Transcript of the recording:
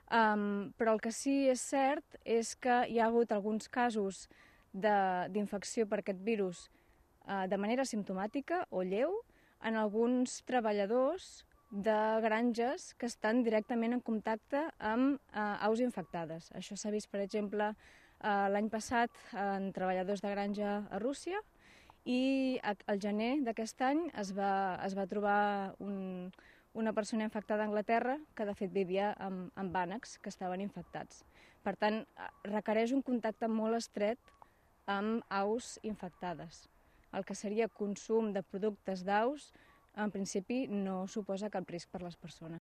Però el que sí és cert és que hi ha hagut alguns casos d'infecció per aquest virus de manera simptomàtica o lleu en alguns treballadors de granges que estan directament en contacte amb aus infectades. Això s'ha vist, per exemple, l'any passat en treballadors de granja a Rússia, i al gener d'aquest any es va trobar una persona infectada a Anglaterra que de fet vivia amb ànecs que estaven infectats. Per tant, requereix un contacte molt estret amb aus infectades. El que seria consum de productes d'aus, en principi, no suposa cap risc per les persones.